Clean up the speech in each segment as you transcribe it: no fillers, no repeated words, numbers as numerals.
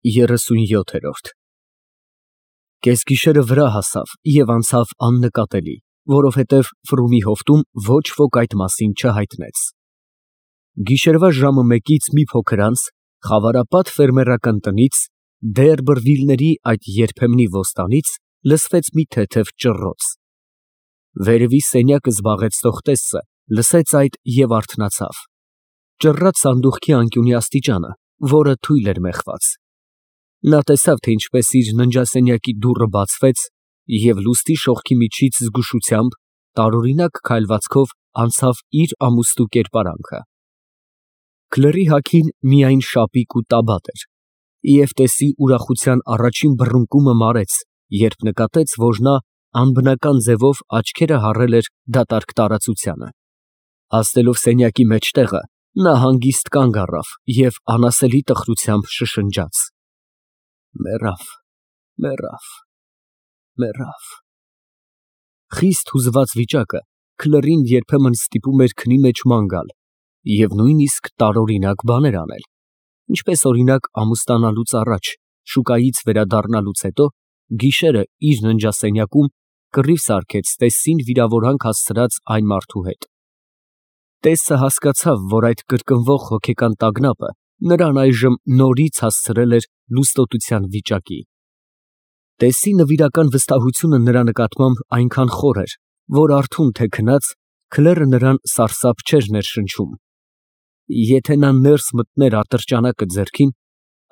37 Կեսգիշերը վրա հասավ և անցավ աննկատելի, որովհետև Ֆրումի հովտում ոչ ոք այդ մասին չհայտնեց։ Գիշերվա ժամը մեկից մի փոքր անց խավարապատ ֆերմերական տնից, Դերբրվիլների այդ երբեմնի ոստանից լսվեց մի թեթև ճռռոց։ Վերևի սենյակը զբաղեցնող տեսը լսեց այդ և արթնացավ։ Ճռռաց սանդուղքի անկյունի աստիճանը, որը թույլ էր մեխված։ Նա տեսավ, թե ինչպես իր ննջասենյակի դուռը բացվեց, և լուսնի շողքի միջից զգուշությամբ, տարօրինակ քայլվածքով անցավ իր ամուստու կերպարանքը։ Քլերի հագին միայն շապիկ ու տաբատ էր, և տեսի ուրախության առաջին բռնկումը մարեց, երբ նկատեց, որ նա անբնական ձևով աչքերը հառել էր դատարկ տարածությանը։ Հասնելով սենյակի մեջտեղը, նա հանգիստ կանգ առավ և անասելի տխրությամբ շշնջաց. Մեռավ, մեռավ, մեռավ։ Խիստ հուզված վիճակը Քլերին երբեմն ստիպում էր քնի մեջ ման գալ և նույնիսկ տարօրինակ բաներ անել, ինչպես օրինակ ամուսնանալուց առաջ, շուկայից վերադառնալուց հետո, գիշերը իր ննջասենյակում կռիվ սարքեց տեսին վիրավորանք հասցրած այն մարդու հետ։ Տեսը հասկացավ, որ այդ կրկնվող հոգեկան տագնապը նրան այժմ նորից հասցրել էր լուստոտության վիճակի։ Տեսի նվիրական վստահությունը նրա նկատմամբ այնքան խոր էր, որ արթուն թե քնած, Քլերը նրան սարսափ չէր ներշնչում։ Եթե նա ներս մտներ ատրճանակը ձեռքին,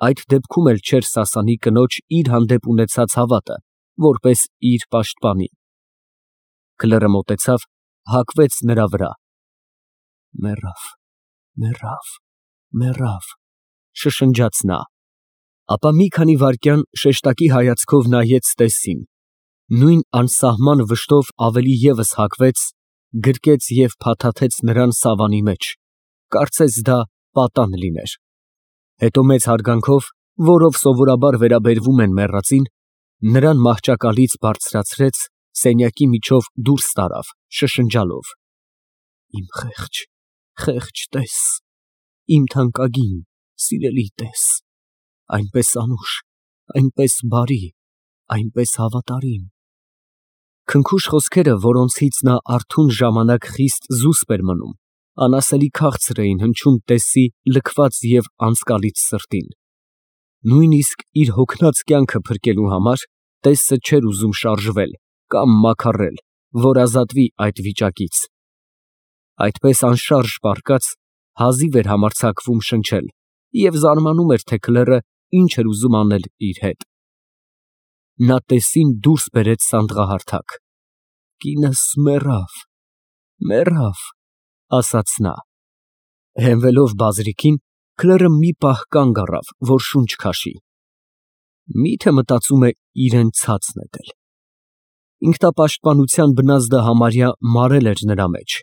այդ դեպքում էլ չէր սասանի կնոջ իր հանդեպ ունեցած հավատը, որպես իր պաշտպանի։ Քլերը մոտեցավ, հագվեց նրա վրա։ Մեռավ, մեռավ, մեռավ, շշնջաց նա։ Ապա մի քանի վայրկյան շեշտակի հայացքով նայեց տեսին, նույն անսահման վշտով ավելի ևս հագվեց, գրկեց և փաթաթեց նրան սավանի մեջ, կարծես դա պատան լիներ։ Հետո մեծ հարգանքով, որով սովորաբար վերաբերվում են մեռածին, նրան մահճակալից բարձրացրեց, սենյակի միջով դուրս տարավ, շշնջալով. Իմ խեղճ, խեղճ տես, իմ թանկագին, սիրելի տես, այնպես անուշ, այնպես բարի, այնպես հավատարիմ։ Քնքուշ խոսքերը, որոնցից նա արթուն ժամանակ խիստ զուսպ էր մնում, անասելի քաղցր էին հնչում տեսի լքված և անձկալից սրտին։ Նույնիսկ իր հոգնած կյանքը փրկելու համար տեսը չէր ուզում շարժվել կամ մաքարել, որ ազատվի այդ վիճակից։ Այդպես անշարժ պառկած, հազիվ էր համարձակվում շնչել և զարմանում էր, թե Քլերը ինչ էր ուզում անել իր հետ։ Նա տեսին դուրս բերեց սանդղահարթակ։ Կինս մեռավ, մեռավ, ասաց նա։ Հենվելով բազրիքին, Քլերը մի պահ կանգ առավ, որ շունչ քաշի։ Մի՞թե մտածում է իրան ցած նետել։ Ինքնապաշտպանության բնազդը համարյա մարել էր նրա մեջ։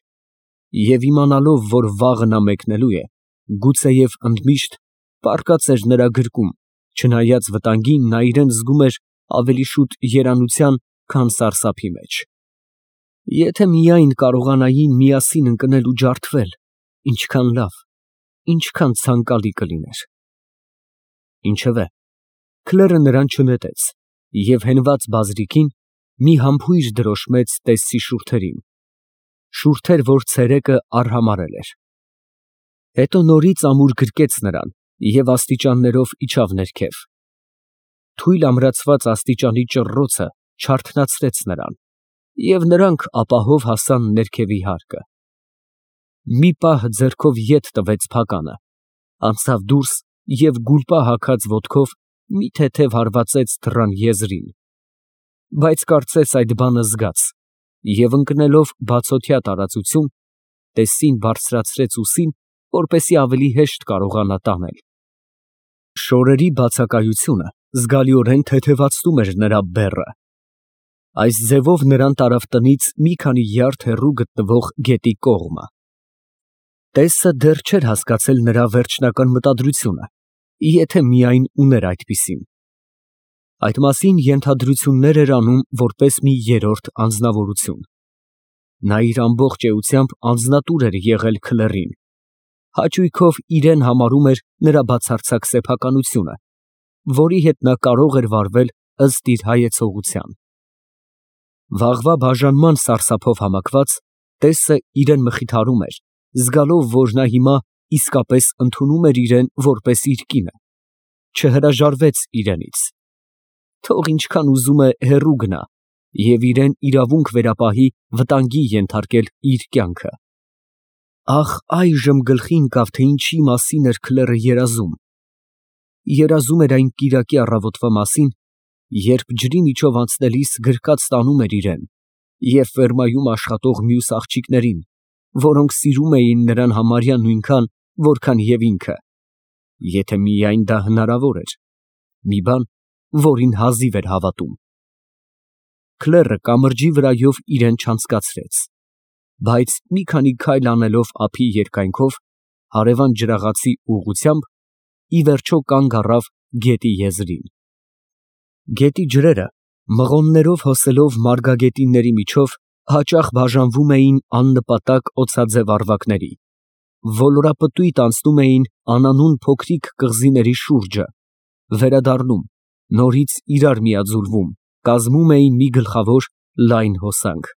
Եվ իմանալով, որ վաղը նա մեկնելու է, գուցեև ընդմիշտ, պառկած էր նրա գրկում, չնայած վտանգին նա իրան զգում էր ավելի շուտ երանության, քան սարսափի մեջ։ Եթե միայն կարողանային միասին ընկնել ու ջարդվել, ինչքան լավ, ինչքան ցանկալի կլիներ։ Ինչևէ, Քլերը նրան չնետեց և հենված բազրիքին մի համբույր դրոշմեց տեսի շուրթերին, շուրթեր, որ ցերեկը արհամարհել էր։ Հետո նորից ամուր գրկեց նրան և աստիճաններով իջավ ներքև։ Թույլ ամրացված աստիճանի ճռռոցը չարթնացրեց նրան, և նրանք ապահով հասան ներքևի հարկը։ Մի պահ ձեռքով ետ տվեց փականը, անցավ դուրս և գուլպա հագած ոտքով մի թեթև հարվածեց դռան եզրին։ Բայց կարծես այդ բանը զգաց, և ընկնելով բացօթյա տարածություն, տեսին բարձրացրեց ուսին, որպեսզի ավելի հեշտ կարողանա տանել։ Շորերի բացակայությունը զգալիորեն թեթևացնում էր նրա բեռը։ Այս ձևով նրան տարավ տնից մի քանի յարդ հեռու գտնվող գետի կողմը։ Տեսը դեռ չէր հասկացել նրա վերջնական մտադրությունը, եթե միայն ուներ այդպիսին։ Այդ մասին ենթադրություններ էր անում որպես մի երրորդ անձնավորություն։ Նա իր ամբողջ էությամբ անձնատուր էր եղել Քլերին, հաճույքով իրեն համարում էր նրա բացարձակ սեփականությունը որի հետ նա կարող էր վարվել ըստ իր հայեցողության։ Վաղվա բաժանման սարսափով համակված, տեսը իրեն մխիթարում էր, զգալով, որ նա հիմա իսկապես ընդունում էր իրեն որպես իր կինը, չհրաժարվեց իրենից։ Թող ինչքան ուզում է հեռու գնա և իրեն իրավունք վերապահի վտանգի ենթարկել իր կյանքը։ Ահ, այժմ գլխի ընկավ, թե ինչի մասին էր Քլերը երազում։ Երազում էր այն կիրակի առավոտվա մասին, երբ ջրի միջով անցնելիս գրկած տանում էր իրեն և ֆերմայում աշխատող մյուս աղջիկներին, որոնք սիրում էին նրան համարյա նույնքան, որքան և ինքը, եթե միայն դա հնարավոր էր, մի բան, որին հազիվ էր հավատում։ Քլերը կամրջի վրայով իրեն չանցկացրեց, բայց մի քանի քայլ անելով ափի երկայնքով, հարևան ջրաղացի ուղղությամբ, ի վերջո կանգ առավ գետի եզրին։ Գետի ջրերը, մղոններով հոսելով մարգագետինների միջով, հաճախ բաժանվում էին աննպատակ օձաձև առվակների, ոլորապտույտ անցնում էին անանուն փոքրիկ կղզիների շուրջը, վերադառնում, նորից իրար միաձուլվում, կազմում էին մի գլխավոր լայն հոսանք։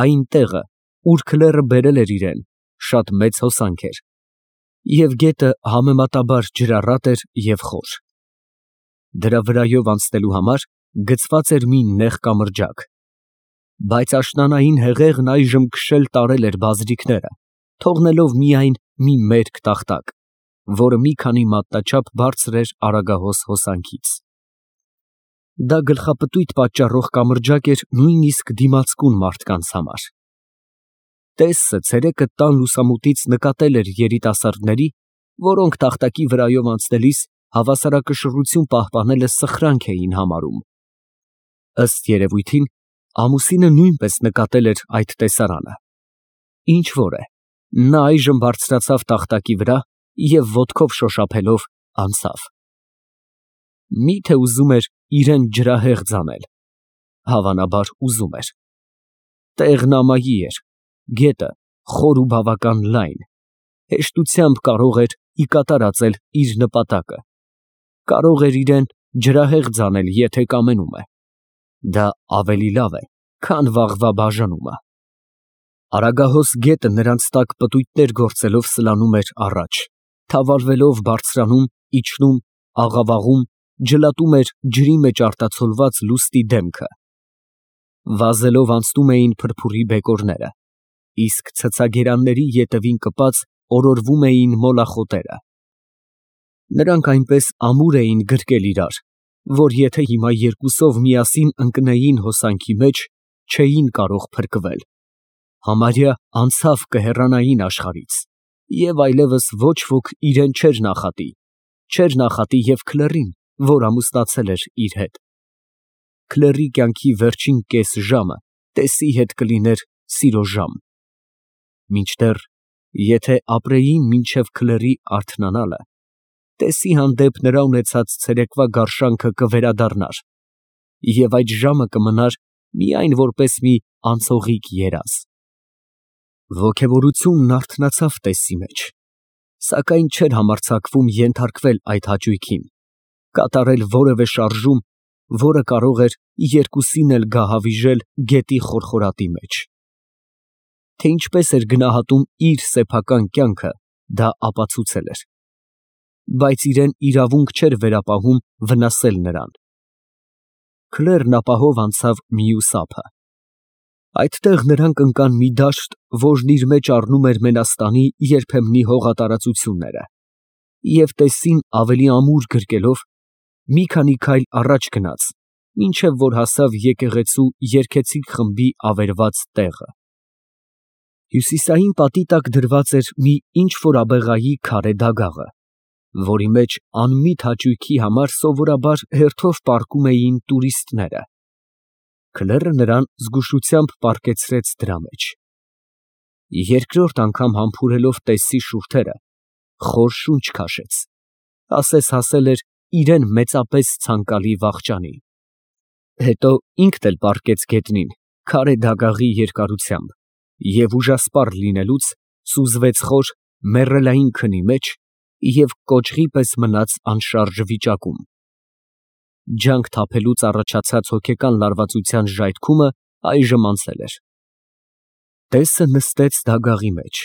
Այն տեղը, ուր Քլերը բերել էր իրեն, շատ մեծ հոսանք էր, և գետը համեմատաբար ջրառատ էր և խոր։ Դրա վրայով անցնելու համար գծված էր մի նեղ կամրջակ, բայց աշնանային հեղեղն այժմ քշել տարել էր բազրիքները, թողնելով միայն մի մերկ տախտակ, որը մի քանի մատնաչափ բարձր էր Արագահոս հոսանքից։ Դա գլխապտույտ պատճառող կամրջակ էր նույնիսկ դիմացկուն մարդկանց համար։ Տեսը ցերեկը տան լուսամուտից նկատել էր երիտասարդների, որոնք տախտակի վրայով անցնելիս հավասարակշռություն պահպանելը սխրանք էին համարում։ Ըստ երևույթին, ամուսինը նույնպես նկատել էր այդ տեսարանը։ Ինչ որ է, նա այժմ բարձրացավ տախտակի վրա և ոտքով շոշափելով անցավ։ Մի՞թե ուզում էր իրեն ջրահեղձ անել։ Հավանաբար ուզում էր։ Տեղն ամայի էր, գետը խոր ու բավական լայն, հեշտությամբ կարող էր ի կատար ածել իր նպատակը, կարող էր իրեն ջրահեղձ անել, եթե կամենում է։ Դա ավելի լավ է, քան վաղվա բաժանումը։ Արագահոս գետը նրանց տակ պտույտներ գործելով սլանում էր առաջ, թավալվելով բարձրանում, իջնում, աղավաղում, ջլատում էր ջրի մեջ արտացոլված լուստի դեմքը։ Վազելով անցնում էին փրփուրի բեկորները, իսկ ցցագերանների ետևին կպած օրորվում էին մոլախոտերը։ Նրանք այնպես ամուր էին գրկել իրար, որ եթե հիմա երկուսով միասին ընկնեին հոսանքի մեջ, չէին կարող փրկվել, համարյա անցավ կհեռանային աշխարհից, և այլևս ոչ ոք իրեն չէր նախատի և Քլերին, որ ամուսնացել էր իր հետ։ Քլերի կյանքի վերջին կես ժամը տեսի հետ կլիներ սիրո ժամ։ Մինչդեռ, եթե ապրեին մինչև Քլերի արթնանալը, տեսի հանդեպ նրա ունեցած ցերեկվա գարշանքը կվերադառնար, և այդ ժամը կմնար միայն որպես մի անցողիկ երազ։ Ոգևորությունն արթնացավ տեսի մեջ, սակայն չէր համարձակվում ենթարկվել այդ հաճույքին, կատարել որևէ շարժում, որը կարող էր երկուսին էլ գահավիժել գետի խորխորատի մեջ։ Թե ինչպես էր գնահատում իր սեփական կյանքը, դա ապացուցել էր, բայց իրեն իրավունք չէր վերապահում վնասել նրան։ Քլերն ապահով անցավ մյուս ափը։ Այդտեղ նրանք ընկան մի դաշտ, որն իր մեջ առնում էր Մենաստանի երբեմնի հողատարածությունները, և տեսին ավելի ամուր գրկելով, մի քանի քայլ առաջ գնաց, մինչև որ հասավ եկեղեցու երգեցիկ խմբի ավերված տեղը։ Հյուսիսային պատի տակ դրված էր մի ինչ֊որ աբեղայի քարե դագաղը, որի մեջ անմիտ հաճույքի համար սովորաբար հերթով պառկում էին տուրիստները։ Քլերը նրան զգուշությամբ պառկեցրեց դրա մեջ։ Երկրորդ անգամ համբուրելով տեսի շուրթերը, խոր շունչ քաշեց, ասես հասել էր իրեն մեծապես ցանկալի վախճանի։ Հետո ինքն էլ պառկեց գետնին, քարե դագաղի երկարությամբ, և ուժասպառ լինելուց սուզվեց խոր, մեռելային քնի մեջ, և կոճղի պես մնաց անշարժ վիճակում։ Ջանք թափելուց առաջացած հոգեկան լարվածության ժայթքումը այժմ անցել էր։ Տեսը նստեց դագաղի մեջ։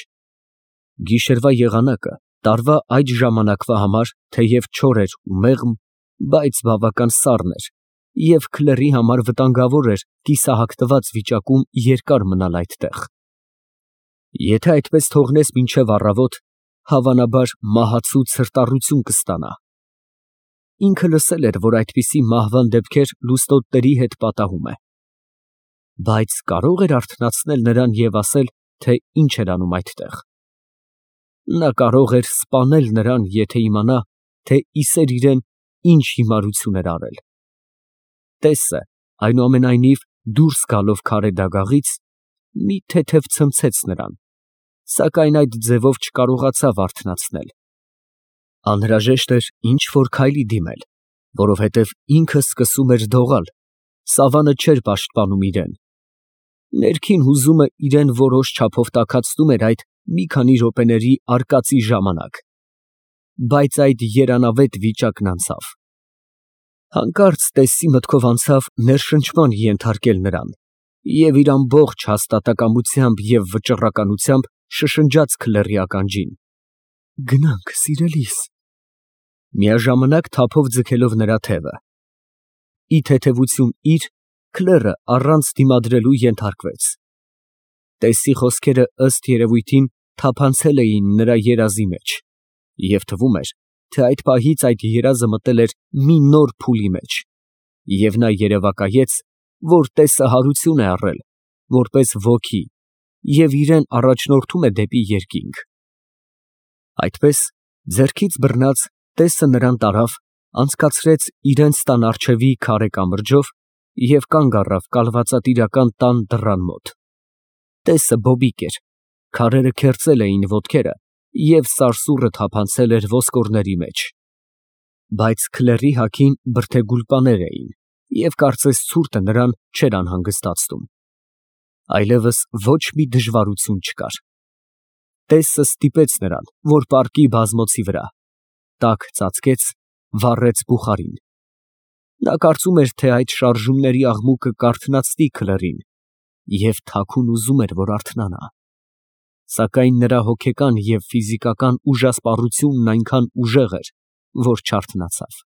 Գիշերվա եղանակը տարվա այդ ժամանակվա համար թեև չոր էր ու մեղմ, բայց բավական սառն էր, և քլերի համար վտանգավոր էր կիսահագնված վիճակում երկար մնալ այդտեղ։ Եթե այդպես թողնես մինչև առավոտ, հավանաբար մահացու ցրտառություն կստանա։ Ինքը լսել էր, որ այդպիսի մահվան դեպքեր լուստոտների հետ պատահում է։ Բայց կարո՞ղ էր արթնացնել նրան և ասել, թե ինչ էր անում այդտեղ։ Նա կարող էր սպանել նրան, եթե իմանա, թե իսեր իրան ինչ հիմարություն էր արել։ Տեսը, այնուամենայնիվ, դուրս գալով քարե դագաղից, մի թեթև ցնցեց նրան, սակայն այդ ձևով չկարողացավ արթնացնել։ Անհրաժեշտ էր ինչ֊որ քայլի դիմել, որովհետև ինքը սկսում էր դողալ, սավանը չէր պաշտպանում իրան։ Ներքին հուզումը իրան որոշ չափով տաքացնում էր այդ մի քանի րոպեների արկածի ժամանակ, բայց այդ երանավետ վիճակն անցավ։ Հանկարծ տեսի մտքով անցավ ներշնչման ենթարկել նրան, և իր ամբողջ հաստատակամությամբ և վճռականությամբ շշնջաց քլերի ականջին. «Գնանք, սիրելիս»։ Միաժամանակ թափով ձգելով նրա թևը։ Ի թեթևություն իր, քլերը առանց դիմադրելու ենթարկվեց։ Տեսի խոսքերը ըստ երևույթին թափանցել էին նրա երազի մեջ, և թվում էր, թե այդ պահից այդ երազը մտել էր մի նոր փուլի մեջ, և նա երևակայեց, որ տեսը հարություն է առել, որպես ոգի, և իրան առաջնորդում է դեպի երկինք։ Այդպես, ձեռքից բռնած, տեսը նրան տարավ, անցկացրեց իրենց տան առջևի քարե կամրջով և կանգ առավ կալվածատիրական տան դռան մոտ։ Տեսը բոբիկ էր, քարերը քերծել էին ոտքերը և սարսուռը թափանցել էր ոսկորների մեջ։ Բայց քլերի հագին բրդեգուլպաներ էին, և կարծես ցուրտը նրան չէր անհանգստացնում։ Այլևս ոչ մի դժվարություն չկար։ Տեսը ստիպեց նրան, որ պառկի բազմոցի վրա, տաք ծածկեց, վառեց բուխարին։ Նա կարծում էր, թե այդ շարժումների աղմուկը կարթնացնի քլերին, և թաքուն ուզում էր, որ արթնանա։ Սակայն նրա հոգեկան և ֆիզիկական ուժասպառությունն այնքան ուժեղ էր, որ չարթնացավ։